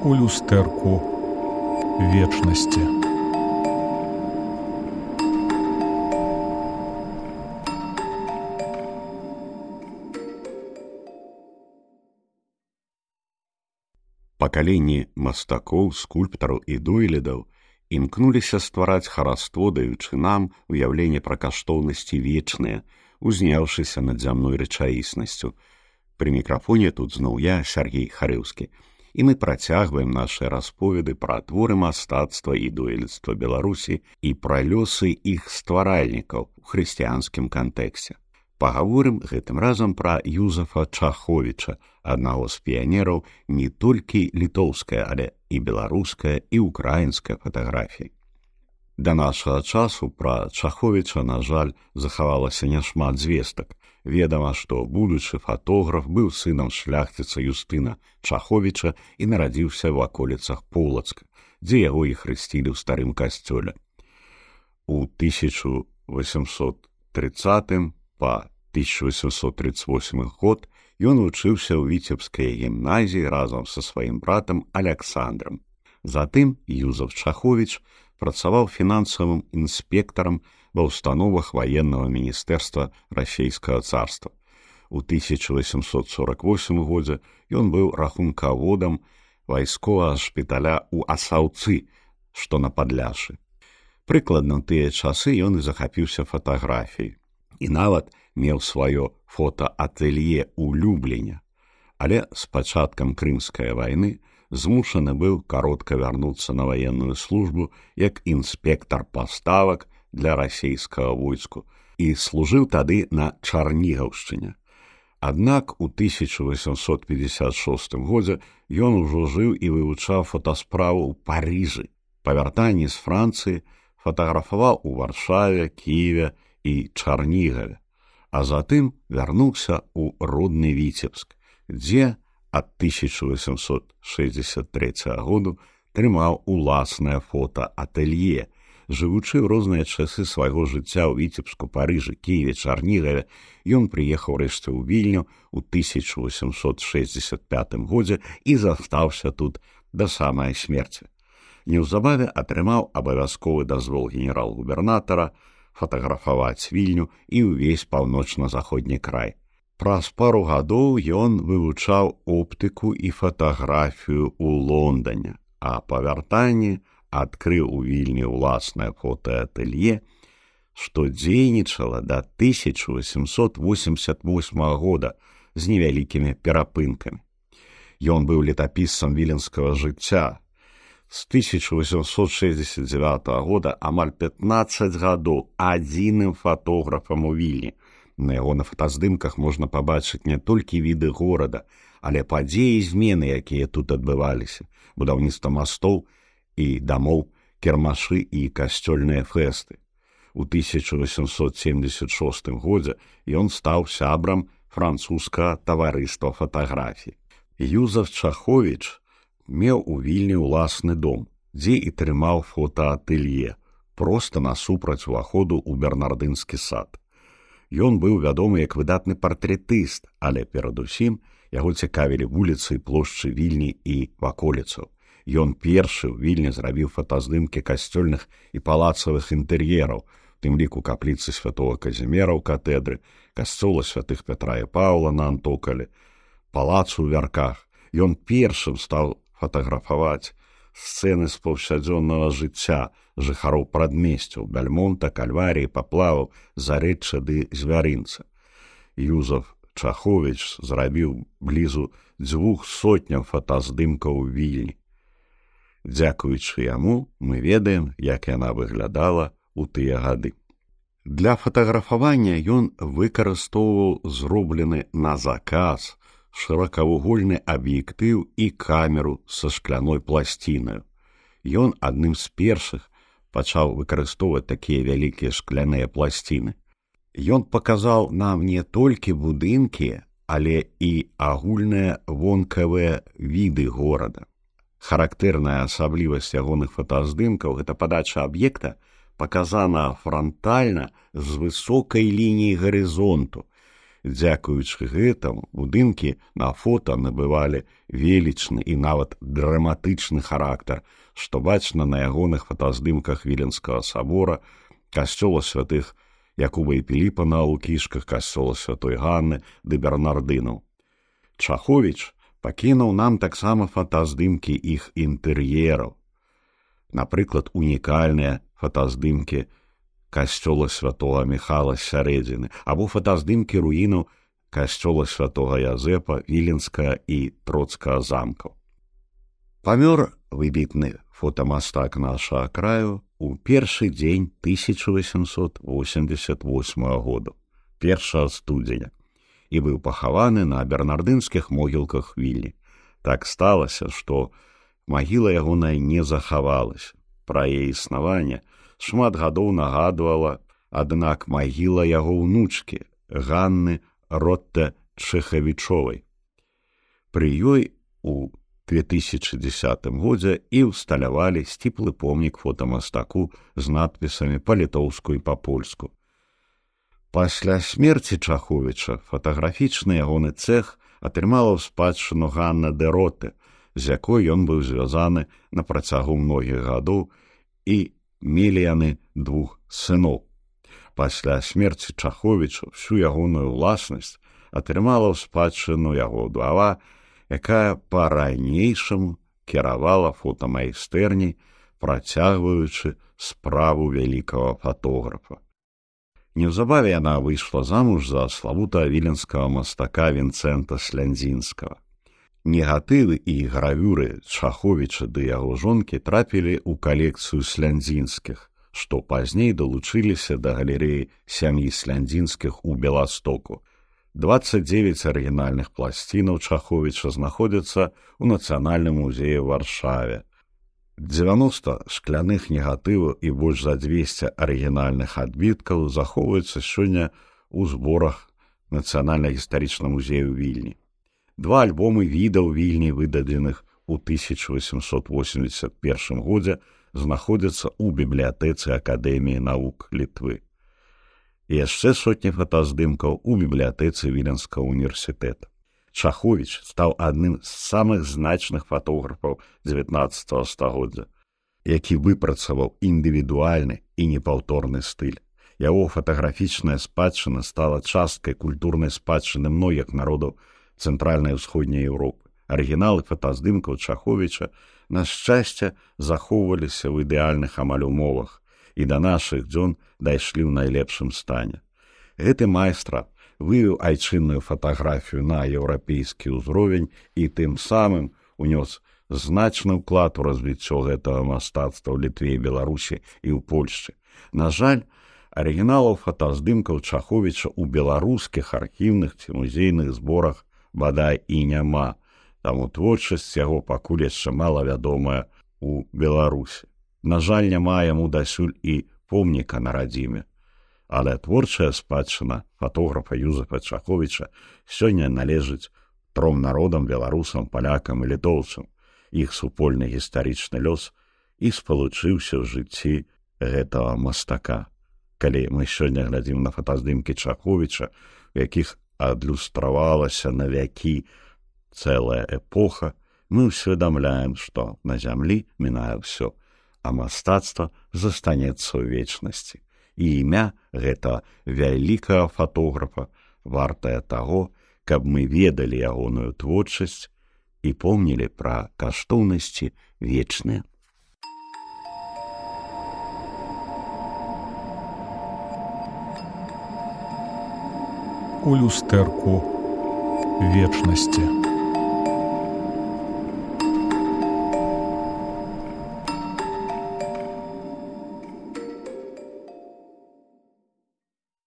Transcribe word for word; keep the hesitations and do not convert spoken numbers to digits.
у люстэрку вечнасці. Пакаленні мастакоў, скульптараў і дойлідаў імкнуліся ствараць хараство, даючы нам уяўленне пра каштоўнасці вечныя, узняўшыся над зямной рэчаіснасцю. Пры мікрафоне тут зноў я, Сяргей Харэўскі, і мы працягваем нашыя расповеды пра творы мастацтва і дойлідства Беларусі і пра лёсы іх стваральнікаў у хрысціянскім кантэксце. Пагаворым гэтым разам пра Юзафа Чаховіча, аднаго з піянераў не толькі літоўскай, але і беларускай, і ўкраінскай фатаграфіі. Да нашага часу пра Чаховіча, на жаль, захавалася няшмат звестак. Ведама, што будучы фатограф быў сынам шляхціца Юстына Чаховіча і нарадзіўся ў ваколіцах Полацка, дзе яго і хрысцілі ў старым касцёле. У тысяча восемьсот тридцатым па тысяча восемьсот тридцать восьмы год ён вучыўся ў Віцебскай гімназіі разам са сваім братам Аляксандрам. Затым Юзаф Чаховіч працаваў фінансавым інспектарам ва ўстановах ваеннага міністэрства расійскага царства. У тысяча восемьсот сорок восьмым годзе ён быў рахункаводам вайсковага шпіталя ў Асаўцы, што на Падляшшы. Прыкладна ў тыя часы ён і захапіўся фатаграфіяй. І нават меў сваё фотаатэлье ў Любліне. Але з пачаткам Крымскай вайны змушаны быў каротка вярнуцца на ваенную службу як інспектар паставак для расійскага войску і служыў тады на Чарнігаўшчыне. Аднак у тысяча восемьсот пятьдесят шостым годзе ён ужо жыў і вывучаў фотасправу ў Парыжы. Па вяртанні з Францыі фатаграфаваў у Варшаве, Кіеве і Чарнігаве, а затым вярнуўся ў родны Віцебск, дзе ад тысяча восемьсот шэсцьдзесят трэцяга году трымаў уласнае фотаатэлье. Жывучы ў розныя часы свайго жыцця ў Віцебску, Парыжы, Кіеве, Чарнігаве, ён прыехаў рэшце ў Вільню ў тысяча восемьсот шэсцьдзесят пятым годзе і застаўся тут да самай смерці. Неўзабаве атрымаў абавязковы дазвол генерал-губернатара фатаграфаваць Вільню і ўвесь паўночна-заходні край. Праз пару гадоў ён вывучаў оптыку і фатаграфію ў Лондане, а па вяртанні адкрыў у Вільні ўласнае фотаатэлье, што дзейнічала да тысяча восемьсот восемьдесят восьмага года з невялікімі перапынкамі. Ён быў летапісцам віленскага жыцця. З тысяча восемьсот шэсцьдесят дзевятага года амаль пятнаццаць гадоў адзіным фатографам у Вільні. На яго на фотаздымках можна пабачыць не толькі віды горада, але падзеі і змены, якія тут адбываліся, будаўніцтва мастоў і дамоў, кірмашы і касцёльныя фэсты. У тысяча восемьсот семьдесят шостым годзе ён стаў сябрам французскага таварыства фатаграфій. Юзаф Чаховіч меў у Вільні ўласны дом, дзе і трымаў фотаатэлье, проста насупраць уваходу ў Бернардынскі сад. Ён быў вядомы як выдатны партрэтыст, але перадусім яго цікавілі вуліцы і плошчы Вільні і ваколіцаў. Ён першы ў Вільні зрабіў фотаздымкі касцёльных і палацавых інтэр'ераў, у тым ліку капліцы святого Казімера ў катэдры, касцёла святых Пятра і Паўла на Антокалі, палацу ў Вярках. Ён першым стаў фатаграфаваць сцэны з паўсядзённага жыцця жыхароў прадмесцяў Бяльмонта, Кальваріі, Паплаваў, Зарэчча ды Звярынца. Юзаф Чаховіч зрабіў блізу дзвюх сотняў фотаздымкаў у Вільні. Дзякуючы яму мы ведаем, як яна выглядала ў тыя гады. Для фатаграфавання ён выкарыстоўваў зроблены на заказ шырокавугольны аб'ектыў і камеру са шкляной пласцінаю. Ён адным з першых пачаў выкарыстоўваць такія вялікія шкляныя пласціны. Ён паказаў нам не толькі будынкі, але і агульныя вонкавыя віды горада. Характэрная асаблівасць ягоных фотаздымкаў — гэта падача аб'екта паказана франтальна з высокай лініі гарызонту. Дзякуючы гэтаму будынкі на фота набывалі велічны і нават драматычны характар, што бачна на ягоных фотаздымках Віленскага сабора, касцёла святых Якуба і Піліпа на Лукішках, касцёла святой Ганны ды Бернардынаў. Чаховіч пакінуў нам таксама фотаздымкі іх інтэр'ераў. Напрыклад, унікальныя фотаздымкі касцёла святого Міхала з сярэдзіны або фотаздымкі руінаў касцёла святого Язэпа, Віленскага і Троцкага замкаў. Памёр выбітны фотамастак нашага краю у першы дзень тысяча восемьсот восемьдесят восьмага года, першага студзеня, і быў пахаваны на бернардынскіх могілках Вільні. Так сталася, што магіла ягоная не захавалася. Пра яе існаванне шмат гадоў нагадвала, аднак магіла яго ўнучкі Ганны Ротта-Чэхавічовай. Пры ёй у две тысячи дзесятым годзе і ўсталявалі сціплы помнік фотамастаку з надпісамі па-літоўску і па-польску. Пасля смерці Чаховіча фотаграфічны ягоны цэх атрымала ў спадчыну Ганна де Ротте, з якой ён быў звязаны на працягу многіх гадоў, і мелі яны двух сыноў. Пасля смерці Чаховіча всю ягоную ўласнасць атрымала ў спадчыну яго ўдава, якая па-ранейшаму кіравала фотамайстэрняй, працягваючы справу вялікага фотографа. Неўзабаве яна выйшла замуж за славутага віленскага мастака Вінцэнта Слянзінскага. Негатывы і гравюры Чаховіча ды яго жонкі трапілі ў калекцыю Слянзінскіх, што пазней далучыліся да галерэі сям'і Слянзінскіх у Беластоку. двадцать девять арыгінальных пласцінаў Чаховіча знаходзяцца ў Нацыянальным музеі ў Варшаве. дзевяноста шкляных негатываў і больш за двесце арыгінальных адбіткаў захоўваюцца сёння ў зборах Нацыянальна-гістарычнага музею Вільні. Два альбомы відаў Вільні, выдадзеных у тысяча восемьсот восемьдесят першым годзе, знаходзяцца ў бібліятэцы Акадэміі навук Літвы. І яшчэ сотні фотаздымкаў у бібліятэцы Віленскага універсітэта. Чаховіч стаў адным з самых значных фотографаў дзевятнаццатага стагоддзя, які выпрацаваў індывідуальны і непаўторны стыль. Яго фотаграфічная спадчына стала часткай культурнай спадчыны многіх народаў Цэнтральнай і ўсходняй Еўропы. Арыгіналы фотаздымкаў Чаховіча, на шчасце, захоўваліся ў ідэальных амаль умовах і да нашых дзён дайшлі ў найлепшым стане. Гэты майстра вывеў айчынную фатаграфію на еўрапейскі ўзровень і тым самым унёс значны ўклад у развіццё гэтага мастацтва ў Літве і Беларусі і ў Польшчы. На жаль, арыгіналаў фотаздымкаў Чаховіча ў беларускіх архіўных ці музейных зборах бадай і няма, таму творчасць яго пакуль яшчэ малавядомая ў Беларусі. На жаль, няма яму дасюль і помніка на радзіме. Але творчая спадчына фотографа Юзефа Чаховіча сёння належыць тром народам, беларусам, палякам і літоўцам. Іх супольны гістарычны лёс і спалучыўся ў жыцці гэтага мастака. Калі мы сёння глядзім на фотаздымкі Чаховіча, у якіх адлюстравалася на вякі цэлая эпоха, мы ўсведамляем, што на зямлі мінае ўсё, а мастацтва застанецца ў вечнасці. І імя гэта вялікага фотографа вартае таго, каб мы ведалі ягоную творчасць і помнілі пра каштоўнасці вечныя. У люстэрку вечнасці.